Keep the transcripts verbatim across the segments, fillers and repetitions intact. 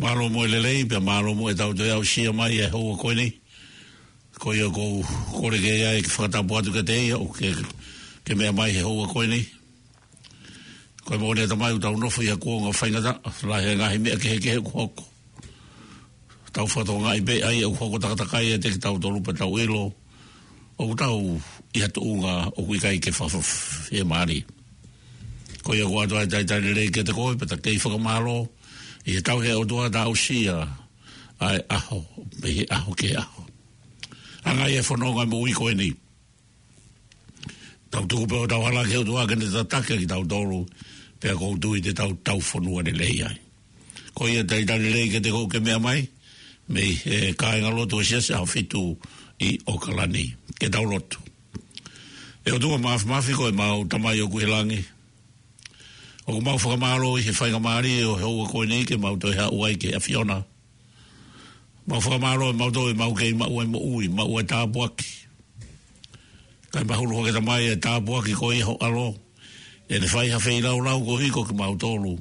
Mālō mo e lelei, pea mālō mo e tau toe aʻusia mai e houa ko eni. Ko ia ʻoku ou kole ke ʻai ke fakatapu atu kiate ia, ʻoku ke, ke meʻa mai he houa ko eni. Ko e moʻoni ʻe Tamai ʻoku tau nofo ʻi ha kuonga faingataʻa, lahi e ngaahi meʻa kehekehe ʻoku hoko. Tau fakatokangaʻi pē ʻa ia ʻoku hoko takatakai ʻiate kitautolu pea tau ʻilo ʻoku tau ʻi ha tuʻunga ʻoku ʻikai ke fakafiemālie. Ko ia ʻoku ʻoatu ʻa e talitali lelei kiate koe, pea ta kei fakamālō ʻi he tauhi ʻa e ʻOtua ta aʻusia ʻa e ʻaho, mei he ʻaho ki he ʻaho. Anga ia e fononga moʻui ko eni. Tau tuku pē hotau hala ki he ʻOtua ke ne tataki kitautolu, pea ʻoku ou tui te tau tau fonua lelei ai. Ko ia talitali lelei kiate koe ʻoku ke meʻa mai, mei he kāingalotu ʻo e Siasi ʻAhofitu ʻi ʻOkalani. Ke tau lotu. ʻE ʻOtua Māfimafi, ko ʻemau Tamai ʻoku ʻi he langi, ʻoku mau fakamālō ʻi he faingamālie ʻo e houa ko eni ke mau toe haʻu ai ki he ʻAfiona. Mau fakamālō ʻe mau toe mau kei maʻu ai moʻui, maʻu ai tāpuaki. Kae mahulu hake Tamai e tāpuaki ko ia ho ʻAlo, ʻene fai ha feilaulau koeʻuhi ko kimautolu,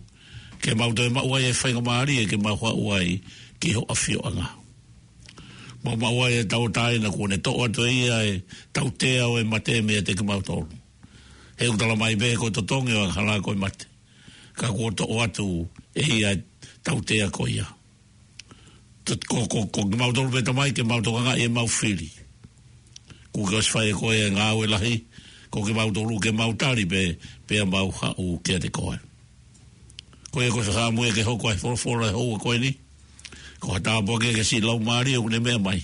ke mau toe maʻu ai e faingamālie ke mau haʻu ai ki ho ʻafioʻanga. Mau maʻu ai e tauʻatāina kuo ne toʻo atu ʻe ia e tautea ʻo e mate meiate kimautolu. He ʻoku tala mai pē ko e totongi ʻo e angahala ko e mate. Ka kuo toʻo atu ʻe ia e tautea ko ia. Ko, ko, ko kimautolu pē Tamai ke mau tokangaʻi ʻemau fili. Kuo ke ʻosi fai ʻe koe e ngāue lahi, ko kimautolu ke mau tali pē, pea mau haʻu kiate koe. Ko ia ko e fakaʻamu ia ke hoko ʻa e folofola he houa ko eni. Ko ha tāpuaki ia ki he siʻi laumālie ʻoku ne meʻa mai.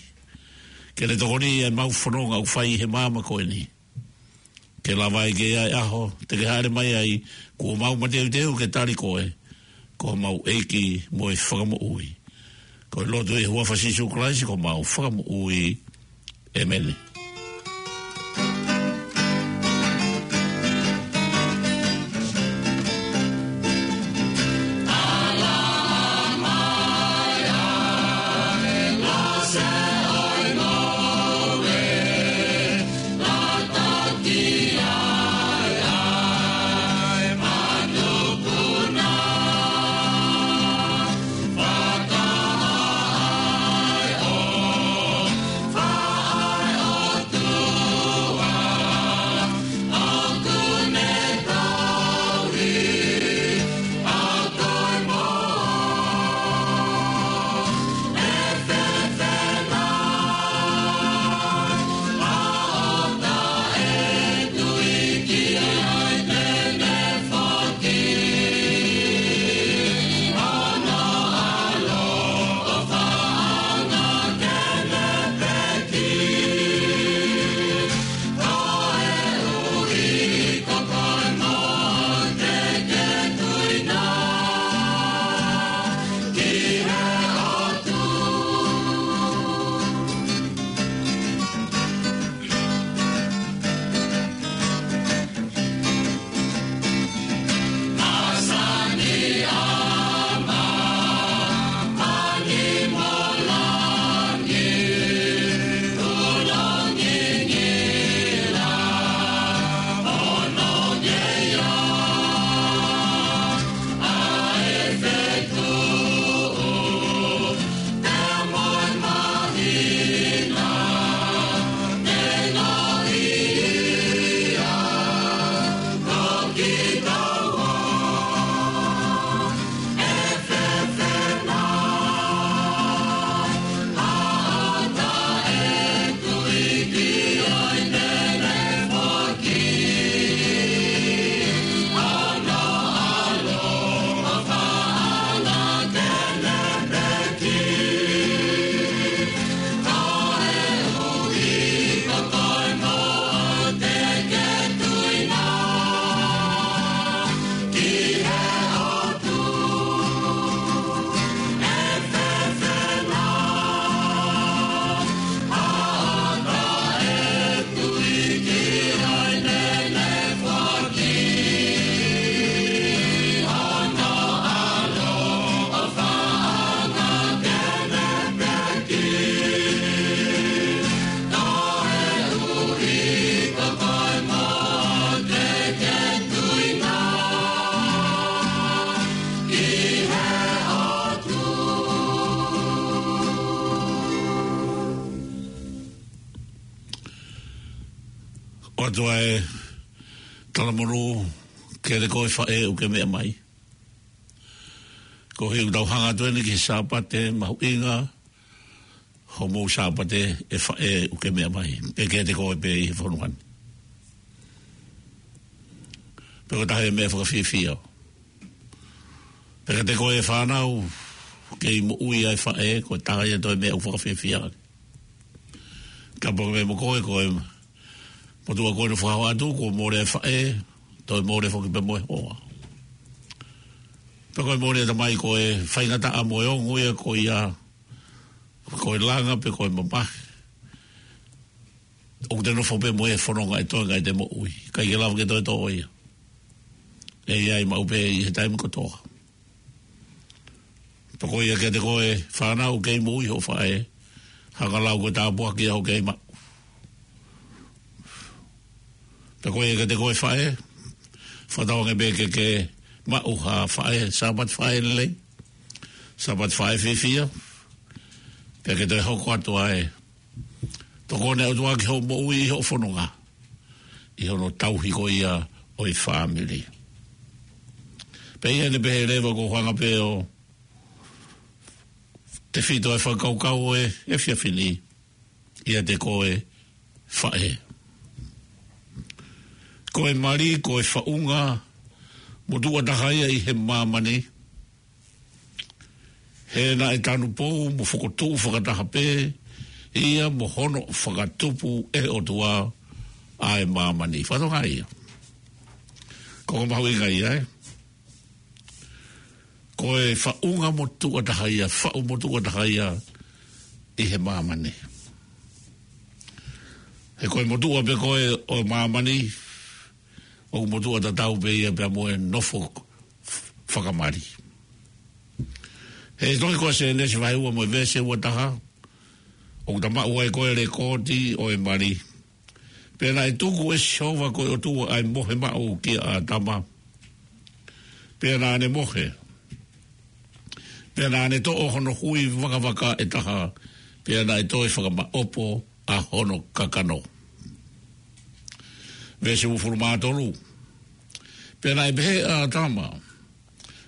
Ke ne tokoniʻi ʻemau fononga ʻoku fai he māmani ko eni. Ke lava ai ke ʻi ai e ʻaho te ke hāʻele mai ai, kuo mau mateuteu ke tali koe ko homau ʻEiki mo e Fakamoʻui. Ko e lotu ʻi he huafa ʻo Sīsū Kalaisi ko homau Fakamoʻui. ʻĒmeni. ʻOatu ʻa e talamonū kiate koe faʻē ʻoku ke meʻa mai. Ko e ʻuhinga ʻoku tau hanga atu eni ki he Sāpate mahuʻinga, hoʻomou Sāpate ʻe faʻē ʻoku ke meʻa mai. Pea kiate koe pē ʻi he fonua ni. Pea ko e taha e meʻa fakafiefia. Pea kiate koe fānau, kei moʻui ʻa e faʻē, ko e taha ia e toe meʻa ʻoku fakafiefia. Ka pau ke meʻa mo koe, ko e motuʻa ko eni ʻoku fakahā atu, kuo mole e faʻē, toe mole foki pē mo e hoa. Pea ko e mole e tamai ko e faingataʻa mo e ongo ia ko ia, ko e langa pe ko e mamahi. ʻOku te nofo pē mo e fononga ʻe toe ngai te moʻui. ʻIkai ke lava ke toe toʻo ia. ʻE ʻi ai maʻu pē ʻi he taimi kotoa. Pea ko ia kiate koe fānau kei moʻui hoʻo faʻē. Hanga lau ko e tāpuaki ia hoʻo kei maʻu. Pea ko ia kiate koe faʻē. Fakatauange pē ke ke maʻu ha faʻē, Sāpate faʻē lelei. Sāpate faʻē fiefia. Pea ke toe hoko atu ai. Tokoni ʻa e ʻOtua ki hoʻo moʻui ʻi hoʻo fononga. ʻI hono tauhi ko ia ʻo e fāmili. Pea ʻi heʻene pehē leva ʻoku ou hanga pē ʻo tefito e fakakaukau ʻo e efiafi ni ʻiate koe faʻē. Ko e mali, ko e faʻunga motuʻa taha ia ʻi he māmani. He naʻe tanupou mo fokotuʻu fakataha pē ia mo hono fakatupu ʻe he ʻOtua ʻa e māmani. Fakatokangaʻi ia. Ko e mahuʻinga ia, ē. Ko e faʻunga motuʻa taha ia, faʻu motuʻa taha ia ʻi he māmani. He ko e motuʻa pē ko ē ʻo māmani, ʻoku motuʻa tatau pē ia pea mo e nofo fakamali. He tohi ko Sēnesi vahe ua mo e veesi ua taha, ʻoku ta maʻu ai ko e lekooti ʻo e mali. Pea naʻe tuku ʻe Sihova ko e ʻOtua ʻa e mohe maʻu kia ʻĀtama. Pea naʻa ne mohe. Pea naʻa ne toʻo hono hui vakavaka ʻe taha. Pea naʻe toe fakamaʻopo ʻa hono kakano. Veesi uofulu mā tolu. Pea naʻe pehē ʻe ʻĀtama,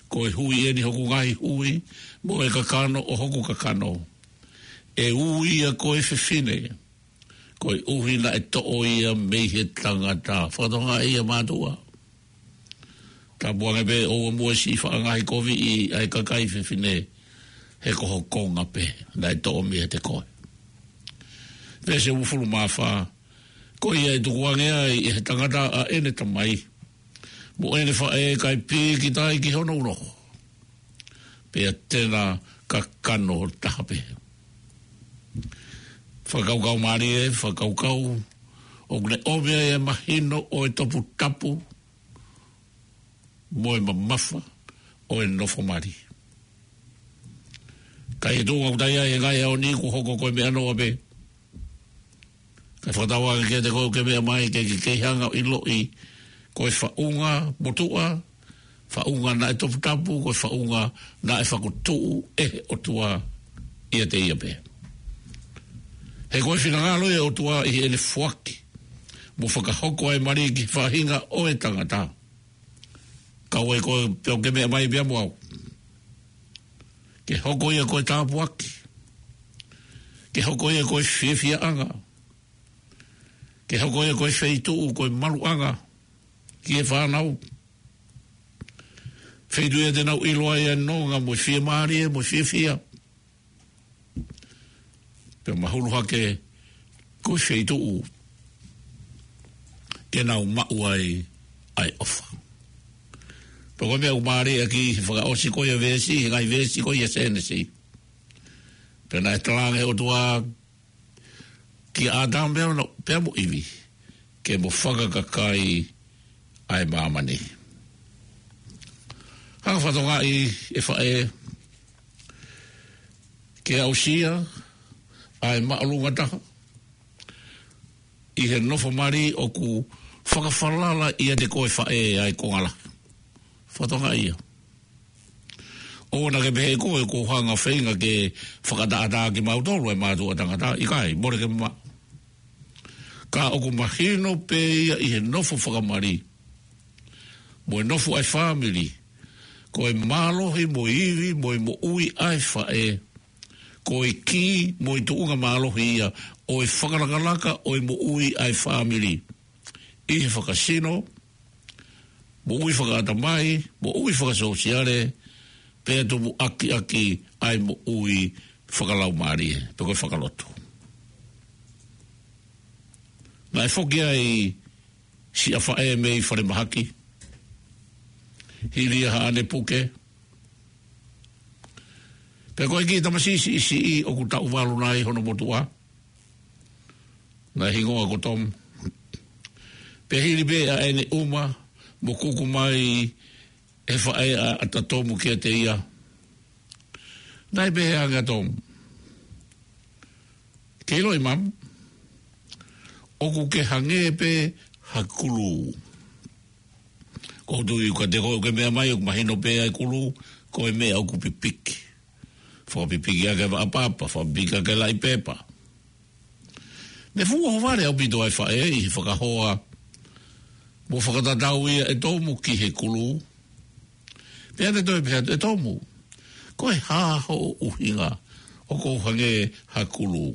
ko e hui eni hoku ngaahi hui, mo e kakano ʻo hoku kakano. ʻE ui ia ko e fefine, koeʻuhi naʻe toʻo ia mei he tangata. Fakatokangaʻi ia mātuʻa. Tāpuange pē ʻoua muʻa siʻi faʻa ngaahi koviʻi ʻa e kakai fefine he ko ho konga pē naʻe toʻo meiate koe. Veesi uofulu mā fā. Ko ia ʻe tukuange ai ʻe he tangata ʻa ʻene tamai mo ʻene faʻē kae pīkitai ki hono unoho. Pea te na kakano taha pē. Fakakaukau mālie, fakakaukau ʻoku ne ʻomi ai e mahino ʻo e toputapu mo e mamafa ʻo e nofo mali. Ka ʻi he tuʻunga ʻoku ta ʻi ai he ngaahi ʻaho ni kuo hoko ko e meʻa noa pē. Kae fakatauange kiate koe ʻoku ke meʻa mai ke ke kei hanga ʻo ʻiloʻi ko e faʻunga motuʻa, faʻunga naʻe toputapu, ko e faʻunga naʻe fakatuʻu ʻe he ʻOtua ʻiate ia pē. He ko e finangalo ʻo e ʻOtua ʻi heʻene foaki mo fakahoko ʻa e mali ki he faʻahinga ʻo e tangata. Kau ai koe pē ʻoku ke meʻa mai pea mo au. Ke hoko ia ko e tāpuaki. Ke hoko ia ko e fiefiaʻanga. Ke hoko ia ko e feituʻu, ko e maluʻanga ki he fānau. Feituʻu ia te nau ʻilo ai ʻa e nonga mo e fiemālie mo e fiefia. Pea mahulu hake ko e feituʻu ke nau maʻu ai ʻa e ʻofa. Pea ko e meʻa ʻoku mālie ʻaki he fakaʻosi ko ia veesi, he ngaahi veesi ko ia Sēnesi. Pea naʻe talaange ʻe he ʻOtua kia ʻĀtama pea mo, pea mo ʻIvi, ke mo fakakakai ʻa e māmani. Hanga fakatokangaʻi ʻe faʻē, ke aʻusia ʻa e māʻolunga taha ʻi he nofo mali ʻoku fakafalala ʻiate koe faʻē ʻa e konga lahi. Fakatokangaʻi ia. ʻOua naʻa ke pehē koe ʻoku ou hanga feinga ke fakatātā kimautolu ʻa e mātuʻa tangata, ʻikai, mole ke maʻu. Ka ʻoku mahino pē ia ʻi he nofo fakamali mo e nofo ʻa e fāmili, ko e mālohi mo e ivi mo e moʻui ʻa e faʻē, ko e kī mo e tuʻunga mālohi ia ʻo e fakalakalaka ʻo e moʻui ʻa e fāmili ʻi he fakasino, moʻui fakaʻatamai, moʻui fakasōsiale, pea tupu ʻaki ʻaki ʻa e moʻui fakalaumālie, pe ko e fakalotu. Naʻe foki ai siʻa faʻē mei falemahaki, hili ia haʻane puke. Pea ko e kiʻi tamasiʻi siʻisiʻi ʻoku taʻu valu nai hono motuʻa, naʻe hingoa ko Tomu. Pea hili pē ʻa ʻene ʻuma mo kuku mai ʻe he faʻē ʻa ʻAtatomu kiate ia, naʻe pehē ange ʻa Tomu, "Ke ʻiloʻi, Mum, ʻoku ke hangē pē ha kulū." Ko u tui kiate koe ʻoku ke meʻa mai ʻoku mahino pē ʻa e kulū, ko e meʻa ʻoku pipiki. Fakapipiki ʻaki e vaʻa papa, fakapipiki ʻaki e laʻi pepa. Ne fuʻu ʻohovale ʻaupito ʻa e faʻē ʻi he fakahoa mo fakatatau ia ʻe Tomu ki he kulū. Pea ne toe pehē atu, "ʻE Tomu, ko e hā hoʻo ʻuhinga ʻoku ou hangē ha kulū?"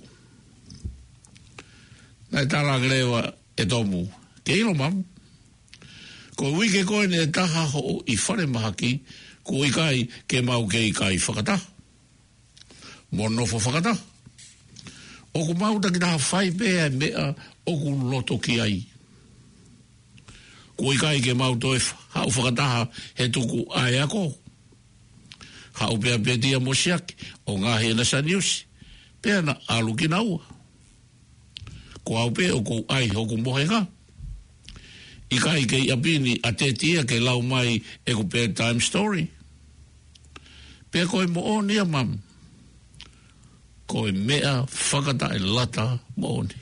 Naʻe tala ange leva ʻe Tomu, "Ke ʻilo, Mum, ko e uike ko eni ʻe taha hoʻo ʻi falemahaki, kuo ʻikai ke mau kei kai fakataha mo nofo fakataha. ʻOku mau takitaha fai pē ʻa e meʻa ʻoku loto ki ai. Kuo ʻikai ke mau toe fa-, haʻu fakataha he tuku ʻa e ako. Haʻu pē ʻa Peti mo Siaki ʻo ngaohi ʻena saniusi, pea na ʻalu kinaua. Ko au pē ʻoku ou ʻai hoku mohenga. ʻIkai kei ʻapi ni ʻa Teti ia ke lau mai ʻeku bedtime story. Pea ko e moʻoni ia, Mum, ko e meʻa fakataʻelata moʻoni.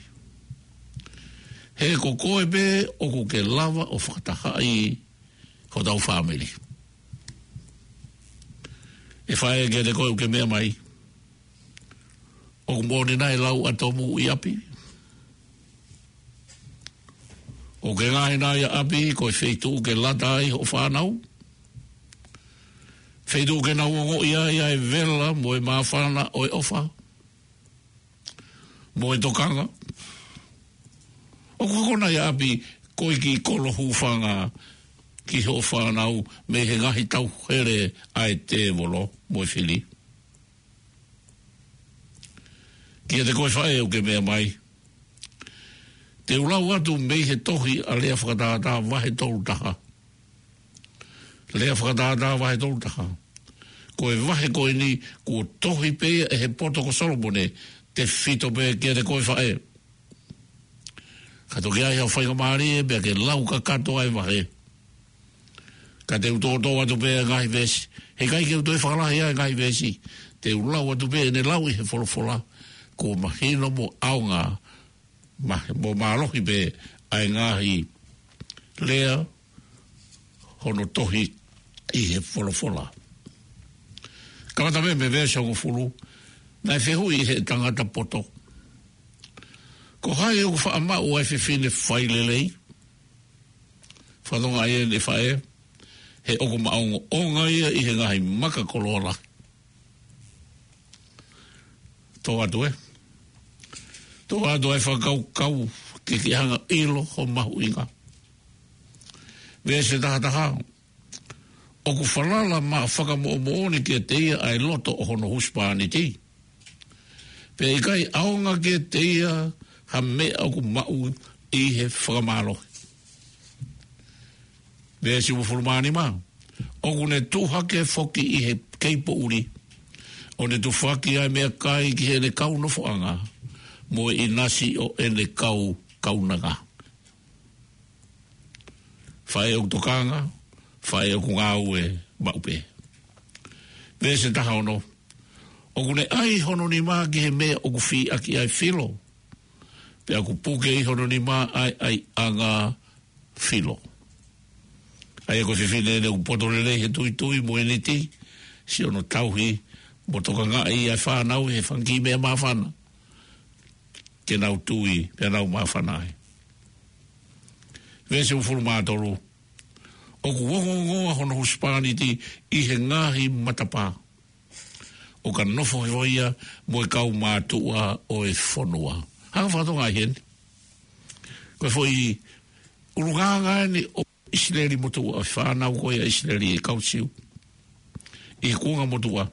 He ko koe pē ʻoku ke lava ʻo fakatahaʻi hotau fāmili." ʻE faʻē, kiate koe ʻoku ke meʻa mai, ʻoku moʻoni nai e lau ʻa Tomu ʻi ʻapi? ʻOku ke ngaohi nai ʻa ʻapi ko e feituʻu ke lata ai hoʻo fānau? Feituʻu ke nau ongoʻi ai ʻa e vela mo e māfana ʻo e ʻofa mo e tokanga? ʻOku hoko nai ʻa ʻapi ko e kiʻi kolo hūfanga ki hoʻo fānau mei he ngaahi tauhele ʻa e tēvolo mo e fili? Kiate koe faʻē ʻoku ke meʻa mai, te u lau atu mei he tohi ʻa Lea Fakatātā vahe tolu taha. Lea Fakatātā vahe tolu taha. Ko e vahe ko eni kuo tohi pē ia ʻe he poto ko Solomone, tefito pē kiate koe faʻē. Ka toki ʻai haʻo faingamālie pea ke lau kakato ʻa e vahe. Ka te u toʻotoʻo atu pē ʻa e ngaahi veesi. He ʻikai ke u toe fakalahi ʻa e ngaahi veesi. Te u lau atu pē ʻene lau ʻi he folofola. Kuo mahino mo ʻaonga, ma-, mo mālohi pē ʻa e ngaahi lea hono tohi ʻi he folofola. Kamata mei he veesi hongofulu, naʻe fehuʻi ʻe he tangata poto, "Ko hai ʻoku faʻa maʻu ʻa e fefine fai lelei?" Fakatonga ai ʻene faʻē, "He ʻoku maʻongoʻonga ia ʻi he ngaahi maka koloa lahi." Tō atu ē. Tō atu ʻa e fakakaukau ke ke hanga ʻilo ho mahuʻinga. Veesi taha taha. ʻOku falala maʻa fakamoʻomoʻoni kiate ia ʻa e loto ʻo hono husepāniti. Pea ʻikai ʻaonga kiate ia ha meʻa ʻoku maʻu ʻi he fakamālohi. Veesi uofulu mā nima. ʻOku ne tuʻu hake foki ʻi he kei poʻuli, ʻo ne tufaki ʻa e meʻakai ki heʻene kau nofoʻanga, mo e ʻinasi ʻo ʻene kau kaunanga. Faʻē ʻoku tokanga, faʻē ʻoku ngāue maʻu pē. Veesi taha ono. ʻOku ne ʻai hono nima ki he meʻa ʻoku fī ʻaki ʻa e filo, pea ʻoku puke ʻi hono nima ʻa e ʻaiʻanga filo. ʻA ia ko e fefine ʻeni ʻoku poto lelei he tuitui mo e niti, siʻono tauhi mo tokangaʻi ʻa e fānau he fanga kiʻi meʻa māfana ke nau tui pea nau māfana ai. Veesi uofulu mā tolu. ʻOku ongoongoa hono husepāniti ʻi he ngaahi matapā, ʻo ka nofo hifo ia mo e kau mātuʻa ʻo e fonua. Hanga fakatokangaʻi heni. Ko e foʻi ʻulungaanga eni ʻo ʻIsileli motuʻa, ʻo e fānau ko ia ʻIsileli, e kau Siu ʻi he kuonga motuʻa.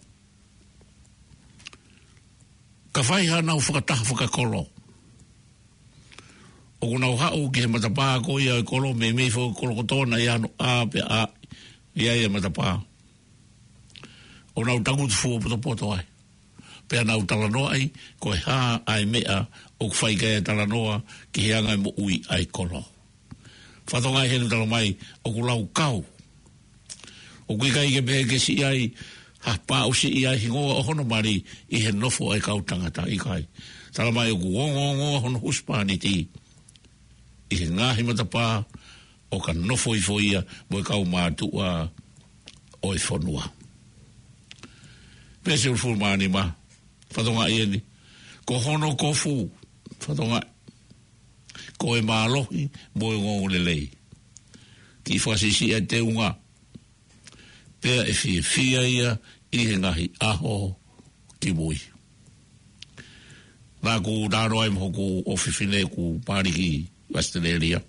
Ka fai haʻanau fakataha fakakolo, ʻoku nau haʻu ki he matapā ko ia ʻo e kolo, meimei foʻi kolo kotoa naʻe ʻi ai hano ʻā pea ʻā ʻi ai e matapā, ʻo nau tangutu fuopotopoto ai, pea nau talanoaʻi ko e hā ʻa e meʻa ʻoku fai ki ai e talanoa ki he anga e moʻui ʻa e kolo. Fakatokangaʻi heni, talamai ʻoku laukau. ʻOku ʻikai ke pehē ke siʻi ai ha pāʻusiʻi ʻa e hingoa ʻo hono mali ʻi he nofo ʻa e kau tangata, ʻikai. Talamai ʻoku ongoongoa hono husepāniti ʻi he ngaahi matapā, ʻo ka nofo hifo ia mo e kau mātuʻa ʻo e fonua. Veesi uofulu mā nima. Fakatokangaʻi eni. Ko hono kofu, fakatokangaʻi, ko e mālohi mo e ongoongolelei. Kiʻi fakasiʻisiʻi e teunga. Pea ʻe fiefia ia ʻi he ngaahi ʻaho kimui. Naʻá ku talanoa ai mo hoku ʻofefine ʻoku mali ki ʻAositelēlia.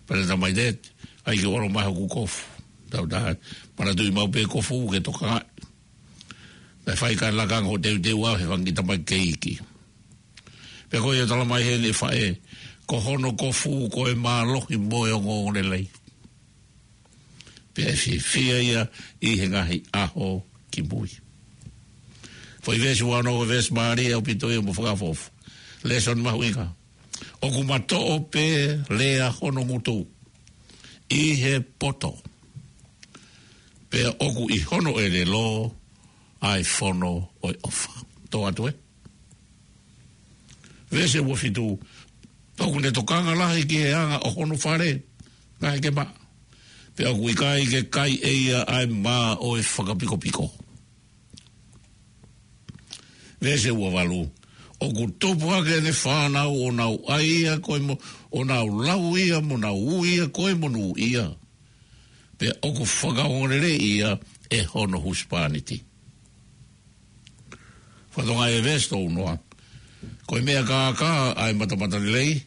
Pea ne talamai, "Dad, ʻai ke ʻoange mai hoku kofu." Tau tā, manatuʻi maʻu pē kofu ke tokangaʻi. Naʻe fai ʻa e lakanga ʻo teuteu au he fanga kiʻi tamaiki kei iiki. Pea ko ia talamai heni ʻe faʻē, ko hono kofu ko e mālohi mo e ongoongolelei. Pea ʻe fiefia ia ʻi he ngaahi ʻaho kimui. Foʻi veesi ua ono, ko e veesi mālie ʻaupito ia mo fakaʻofoʻofa. Lēsoni mahuʻinga. ʻOku matoʻo pē lea hono ngutu ʻi he poto, pea ʻoku ʻi hono ʻelelo ʻa e fono ʻo e ʻofa. Tō atu ē. Veesi ua fitu. ʻOku ne tokanga lahi ki he anga ʻo hono fale, ngaahi kema, pea ʻoku ʻikai ke kai ʻe ia ʻa e mā ʻo e fakapikopiko. Veesi ua valu. ʻOku tupu hake ʻene fānau ʻo nau ʻai ia ko e mo-, ʻo nau lau ia mo nau ui ia ko e monūʻia, pea ʻoku fakaongoongoleleiʻi ia ʻe hono husepāniti. Fakatokangaʻi e veesi tolu noa. Ko e meʻa kākā ʻa e matamatalelei,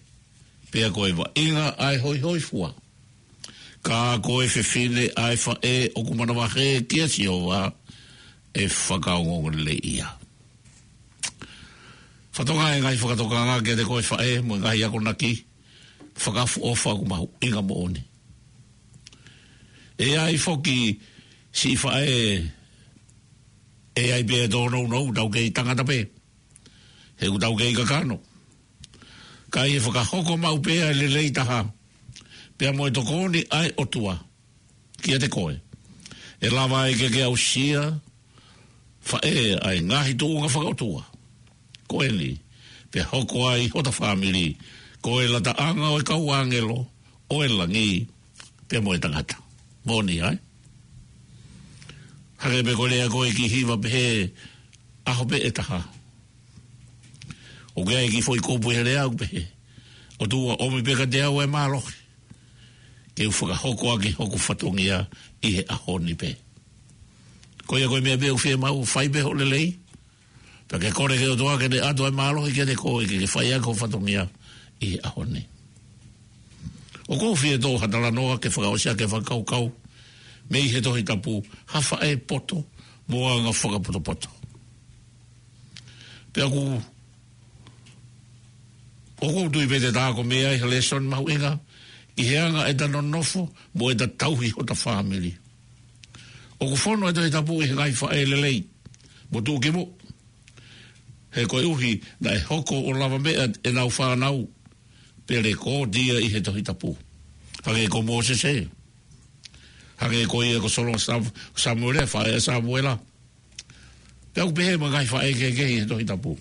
pea ko e vaʻinga ʻa e hoihoifua. Ka ko e fefine ʻa e faʻē ʻoku manavahē kia Sihova, ʻe fakaongoongoleleiʻi ia. Fakatokangaʻi e ngaahi fakatokanga kiate koe faʻē mo e ngaahi akonaki fakaʻofoʻofa ʻoku mahuʻinga moʻoni. ʻE ʻi ai foki siʻi faʻē ʻe ʻi ai pē ʻenau nounou, tau kei tangata pē, he ʻoku tau kei kakano. Ka ʻi he fakahoko maʻu pē ʻa e lelei taha, pea mo e tokoni ʻa e ʻOtua kiate koe, ʻe lava ai ke ke aʻusia, faʻē, ʻa e ngaahi tuʻunga fakaʻotua ko eni, pea hoko ai hota fāmili ko e lataʻanga ʻo e kau ʻāngelo ʻo e langi, pea mo e tangata. Moʻoni ē? Hangē pē ko e lea ko ē ki he hiva pehē, ʻaho pē ʻe taha. ʻOku ʻi ai e kiʻi foʻi kupu he lea ʻoku pehē, ʻOtua, ʻomi pē kiate au e mālohi ke u fakahoko ʻaki hoku fatongia ʻi he ʻaho ni pē. Ko ia ko e meʻa pē ʻoku fiemaʻu, fai pē hoʻo lelei, pea ke kole ki he ʻOtua ke ne ʻoatu e mālohi kiate koe ke ke fai ʻaki hoʻo fatongia ʻi he ʻaho ni. ʻOku ou fie toʻo ha talanoa ke fakaʻosi ʻaki e fakakaukau mei he Tohi Tapu, ha faʻē poto mo anga fakapotopoto. Pea ʻoku, ʻoku ou tui pē te ta ako mei ai ha lēsoni mahuʻinga ʻi he anga ʻeta nonofo mo ʻeta tauhi hota fāmili. ʻOku fono e Tohi Tapu ʻi he ngaahi faʻē lelei mo tuʻukimuʻa, he koeʻuhi naʻe hoko ʻo lavameʻa ʻenau fānau, pea lekooti ia ʻi he Tohi Tapu. Hangē ko Mōsese, hangē ko ia ko Solo Sam-, Samuela, faʻē ʻa Samuela. Pea ʻoku pehē mo e ngaahi faʻē kehekehe ʻi he Tohi Tapu.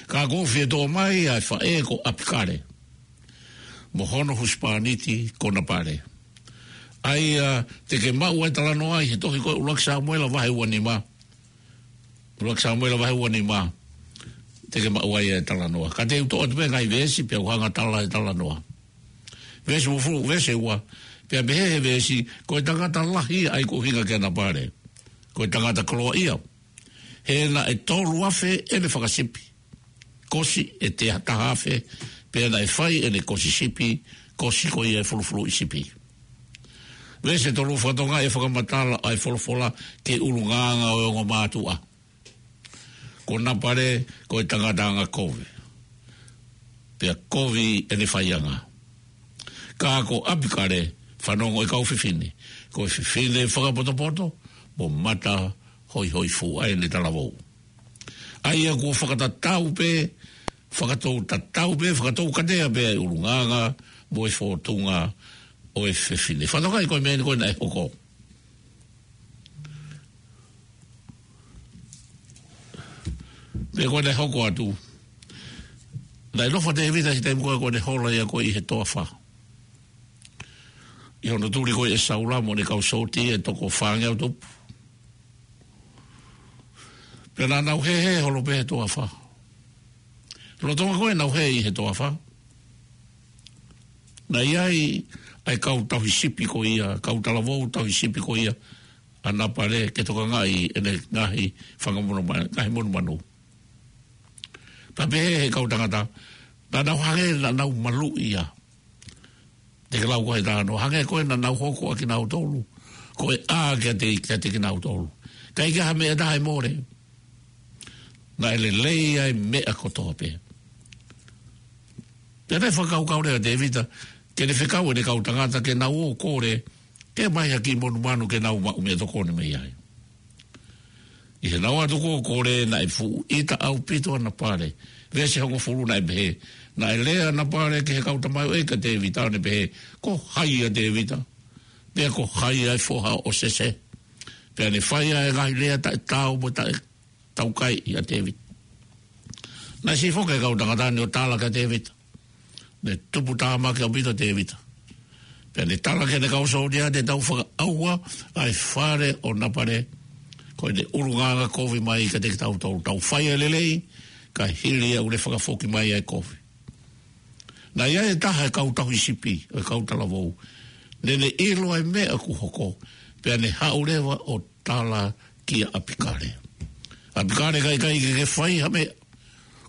Ka ʻoku ou fie toʻo mai ʻa e faʻē ko ʻApikale mo hono husepāniti ko Napale. ʻA ia te ke maʻu ʻa e talanoa ʻi he tohi ko e ʻUluaki Samuela vahe ua nima. ʻUluaki Samuela vahe ua nima. Te ke maʻu ai ʻa e talanoa. Ka te u toʻo atu pē ngaahi veesi pea u hanga ʻo tala e talanoa. Veesi uofulu, veesi ua. Pea pehē he veesi, ko e tangata lahi ʻa ia ʻoku ʻuhinga ki ʻAnapale, ko e tangata koloaʻia. He naʻe tolu afe ʻene fakasipi, kosi ʻe te taha afe, pea naʻe fai ʻene kosi sipi, kosi ko ia ʻe fulufuluʻi sipi. Veesi tolu, fakatokangaʻi e fakamatala ʻa e folofola ki he ʻulungaanga ʻo e ongo mātuʻa. Ko ʻAnapale ko e tangata angakovi, pea kovi ʻene faiʻanga. Ka ko ʻApikale, fanongo e kau fefine, ko e fefine fakapotopoto mo mata hoihoifua ʻa ʻene talavou, ʻa ia kuo fakatatau pē, fakatou tatau pē, fakatou katea pē ʻa e ʻulungaanga mo e fōtunga ʻo e fefine. Fakatokangaʻi ko e meʻa eni ko ē naʻe hoko. Pea ko ʻene hoko atu, naʻe nofo ʻa Tēvita he taimi ko ē ko ʻene hola ia ko ē ʻi he toafa, ʻi hono tuli ko ē ʻe Saula mo ʻene kau sōtia ʻe toko fāngeau tupu. Pea naʻa nau hēhē holo pē he toafa. Lolotonga ko ē ʻenau hē ʻi he toafa, naʻe ʻi ai ʻa e kau tauhi sipi ko ia, kau talavou tauhi sipi ko ia ʻa ʻAnapale ke tokangaʻi ʻene ngaahi fanga monuma-, ngaahi monumanu. Pea pehē he kau tangata, naʻa nau hangē naʻa nau maluʻi ia. Te ke lau ko e talanoa, hangē ko ē naʻa nau hoko ʻa kinautolu ko e ʻā kiate, kiate kinautolu. Ka ʻikai ha meʻa ʻe taha ʻe mole. Naʻe lelei ʻa e meʻa kotoa pē. Pea naʻe fakakaukau leva ʻa Tēvita ke ne fekau ʻene kau tangata ke nau ō ʻo kole ke ʻomai ha kiʻi monumanu ke nau maʻu meʻatokoni mei ai. ʻI heʻenau ō atu ko ē ʻo kole, naʻe fuʻu ʻita ʻaupito ʻa ʻAnapale. Veesi hongofulu, naʻe pehē, naʻe lea ʻa ʻAnapale ki he kau tamaioʻeiki ʻa Tēvita, ʻo ne pehē, ko hai ʻa Tēvita, pea ko hai ʻa e foha ʻo Sese? Pea ne fai ʻa e ngaahi lea taʻetaau mo taʻe taukaeʻi ʻa Tēvita. Naʻe siʻi foki e kau tangata ni ʻo tala kia Tēvita. Ne tupu tāmaki ʻaupito ʻa Tēvita. Pea ne tala ki heʻene kau sōtia, te tau fakaʻauha ʻa e fale ʻo ʻAnapale, ko ʻene ʻulungaanga kovi mai kiate kitautolu. Tau fai ʻa e lelei, kae hili ia ʻoku ne fakafoki mai ʻa e kovi. Naʻe ʻi ai e taha e kau tauhi sipi, e kau talavou. Ne ne ʻilo ʻa e meʻa kuo hoko, pea ne haʻu leva ʻo tala kia ʻApikale. ʻApikale, ʻikai ke ke fai ha meʻa.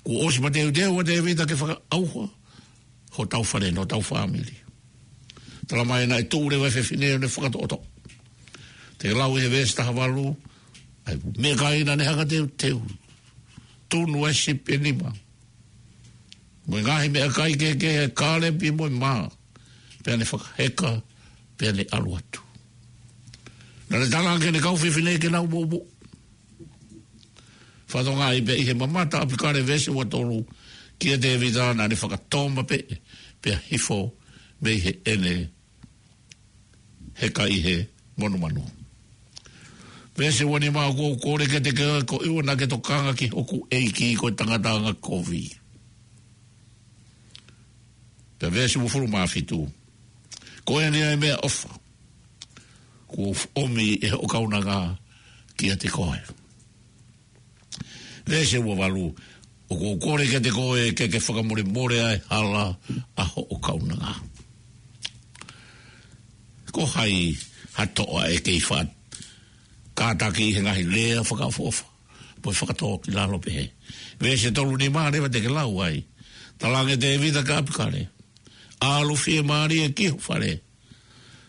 Kuo ʻosi mateuteu ʻa Tēvita ke fakaʻauha hotau fale, hotau fāmili. Tala mai naʻe tuʻu leva e fefine ʻo ne fakatoʻotoʻo. Te ke lau ʻi he veesi taha valu, ʻa e meʻakai naʻa ne hanga ʻo teuteu. Tunu ʻa e sipi ʻe nima mo e ngaahi meʻakai kehekehe, kalepi mo e mā. Pea ne fakaheka, pea ne ʻalu atu. Naʻa ne tala ange ki heʻene kau fefine ke nau moʻumoʻu. Fakatokangaʻi pē ʻi he mamata ʻa ʻApikale, veesi ua tolu, kia Tēvita, naʻa ne fakatōmapeʻe, pea hifo mei heʻene heka ʻi he monumanu. Veesi ua nima, ʻoku ou kole kiate koe, ko ʻIuana, ke tokanga ki hoku ʻeiki, ko e tangata angakovi. Pea veesi uofulu mā fitu, ko eni ʻa e meʻaʻofa kuo u ʻomi ʻe hoʻo kaunanga kiate koe. Veesi ua valu, ʻoku ou kole kiate koe ke ke fakamolemole ʻa e hala ʻa hoʻo kaunanga. Ko hai ha toʻa ʻe kei faʻa kātaki ʻi he ngaahi lea fakaʻofoʻofa, pe fakatōkilalo pehē? Veesi tolu nima leva te ke lau ai. Tala ange ʻe Tēvita kia ʻApikale, ʻalu fiemālie ki ho fale.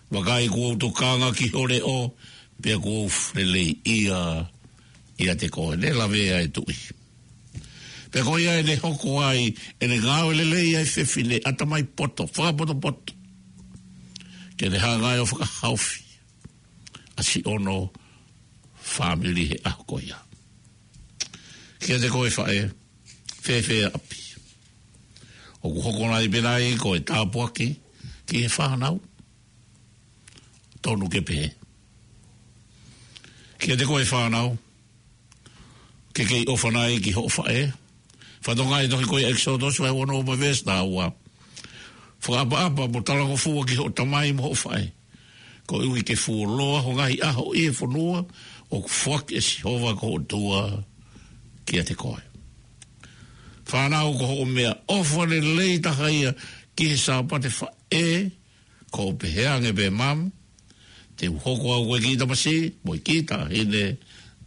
Vakai, kuo u tokanga ki ho leʻo, pea kuo u feleleiʻia ʻiate koe. Ne lavea e tuʻi. Pea ko ia ʻene hoko ai ʻene ngāue lelei ʻa e fefine ʻatamai poto, fakapotopoto, ke ne hanga ai ʻo fakahaofi ʻa siʻono fāmili he ʻaho ko ia. Kiate koe faʻē, fēfē ʻapi? ʻOku hoko nai pē nai ko e tāpuaki ki he fānau? Tonu ke pehē. Kiate koe fānau, ke kei ʻofa nai ki hoʻo faʻē? Fakatokangaʻi e tohi ko ia ʻEkisoto vahe uanoa mo e veesi taha ua. Fakaʻapaʻapa mo talangofua ki hoʻo tamai mo hoʻo faʻē, koeʻuhi ke fuoloa ho ngaahi ʻaho ʻi he fonua ʻoku foaki ʻe Sihova ko ho ʻOtua kiate koe. Fānau, ko hoʻo meʻaʻofa lelei taha ia ki he Sāpate Faʻē, Ko u pehē ange pē, Mum, te u hoko au ko e kiʻi tamasiʻi mo e kiʻi taʻahine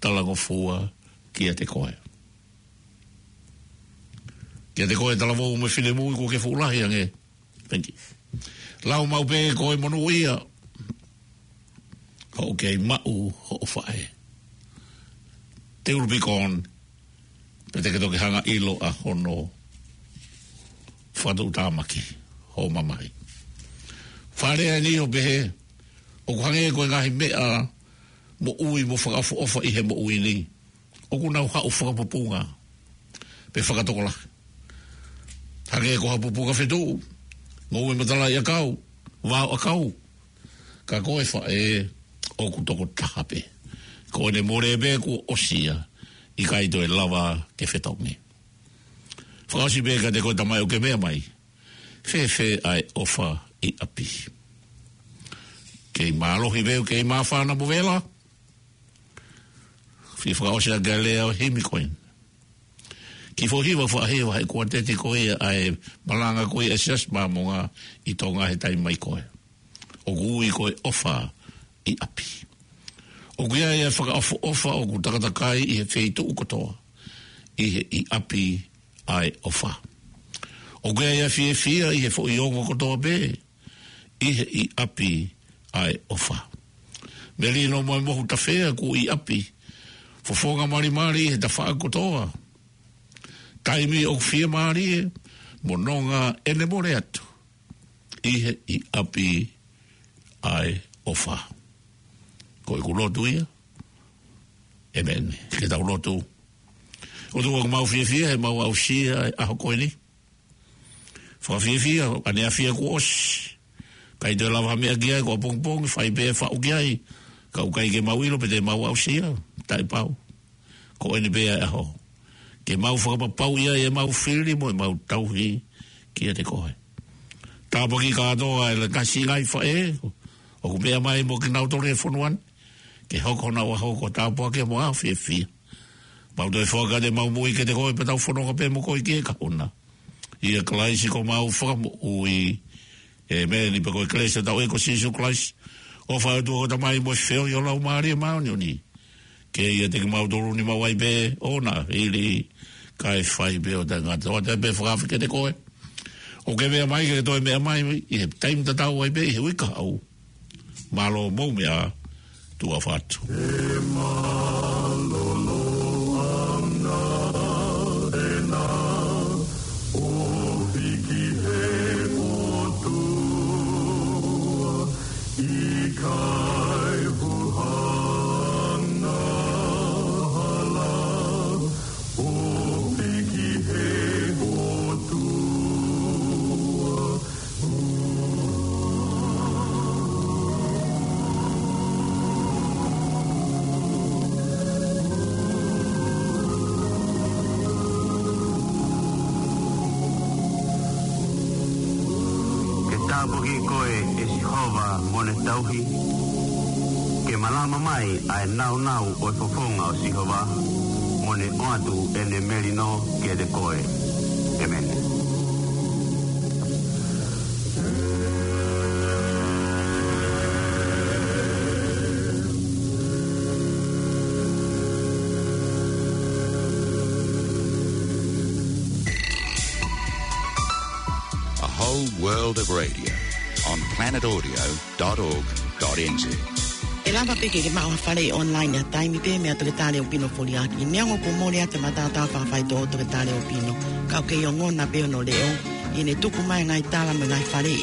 talangofua kiate koe. Kiate koe talavou mo e finemui kuo ke fuʻu lahi ange. Thank you. Lau maʻu pē ko e monūʻia hoʻo kei maʻu hoʻo faʻē. Te u lupikon, pea te ke toki hanga ʻilo ʻa hono fakatuʻutāmaki hoʻo mamahi. Fakalea eni ʻo pehē, ʻoku hangē ko e ngaahi meʻa moʻui mo fakaʻofoʻofa ʻi he moʻui ni, ʻoku nau haʻu fakapupunga pe fakatokolahi. Hangē ko ha pupunga fetuʻu, ngoue matalaʻiʻakau, vaoʻakau. Ka ko e faʻē ʻoku tokotaha pē. Ko ʻene mole pē kuo ʻosi ia, ʻikai toe lava ke fetongi. Fakaʻosi pē kiate koe tamai ʻoku ke meʻa mai. Fēfē ʻa e ʻofa ʻi ʻapi? Kei mālohi pē, kei māfana mo vela. Fie fakaʻosi ʻa e lea ʻo e himi ko eni. Kiʻi foʻi hiva faʻahiva he kuateti ko ia ʻa e malanga ko ia ʻa e Siasi Māmonga ʻi Tonga he taimi mai ko ē. ʻOku ui ko e ʻOfa ʻi ʻApi. ʻOku ʻi ai ʻa e fakaʻofoʻofa ʻoku takatakai ʻi he feituʻu kotoa, ʻi he ʻi ʻapi ʻa e ʻofa. ʻOku ʻi ai ʻa e fiefia ʻi he foʻi ongo kotoa pē, ʻi he ʻi ʻapi ʻa e ʻofa. Melino mo e mohu tafea kuo ʻi ʻapi, fofonga malimali ʻi he tafaʻaki kotoa. Taimi ʻoku fiemālie mo nonga ʻene mole atu, ʻi he ʻi ʻapi ʻa e ʻofa. Ko ʻeku lotu ia. ʻĒmeni. Ke tau lotu. ʻOtua, ʻoku mau fiefia he mau aʻusia e ʻaho ko eni. Fakafiefia ʻaneafi kuo ʻosi. ʻIkai toe lava ha meʻa ki ai, ko ʻapongipongi, fai pē faʻu ki ai. Ka ʻoku ʻikai ke mau ʻilo pe te mau aʻusia, taʻepau. Ko eni pē ʻa e ʻaho ke mau fakapapauʻi ai ʻemau fili mo ʻemau tauhi kiate koe. Tāpuakiʻi kātoa ʻa e ngaahi siʻi ngaahi faʻē ʻoku meʻa mai mo kinautolu he fonua ni, ke hoko honau ʻaho ko e tāpuaki mo e fiefia. Mau toe foaki atu ʻemau moʻui kiate koe pea tau fononga pē mo koe ki he kahaʻu na. ʻIa Kalaisi ko homau Fakamoʻui. ʻĒmeni. Pea ko e kelesi ʻa hotau ʻEiki ko Sīsū Kalaisi, ʻofa ʻa e ʻOtua ko e Tamai mo e feohi ʻo e Laumālie Māʻoniʻoni, ke ʻiate kimautolu ni maʻu ai pē ʻo na hili kae fai pē ʻo taʻengata. ʻOatu ai pē e fakaafe kiate koe ʻoku ke meʻa mai, ke toe meʻa mai ʻi he taimi tatau ai pē ʻi he uike kahaʻu. Mālō mo e meʻa, tuʻa ʻofa atu. ʻE mālōlō ʻa e ʻOtua, ʻo hiki he ʻOtua, ʻikai huhana hala, ʻo hiki he ʻOtua. Ke tāpuakiʻi koe ʻe Sihova mo ne tauhi. Ke malama mai ʻa e nāunau ʻo e fofonga ʻo Sihova, mo ne ʻoatu ʻene melino kiate koe. ʻĒmeni. A whole world of radio on planet audio dot org dot N Z. ʻE lava pē ke ke maʻu ha faleʻi online ʻi ha taimi pē meia Toketā Leopino Foliaki. Neongo kuo mole atu e mataotao fakafaitoʻo ʻo Toketā Leopino, ka ʻoku kei ongona pē hono leʻo ʻi heʻene tuku mai e ngaahi tala mo e ngaahi faleʻi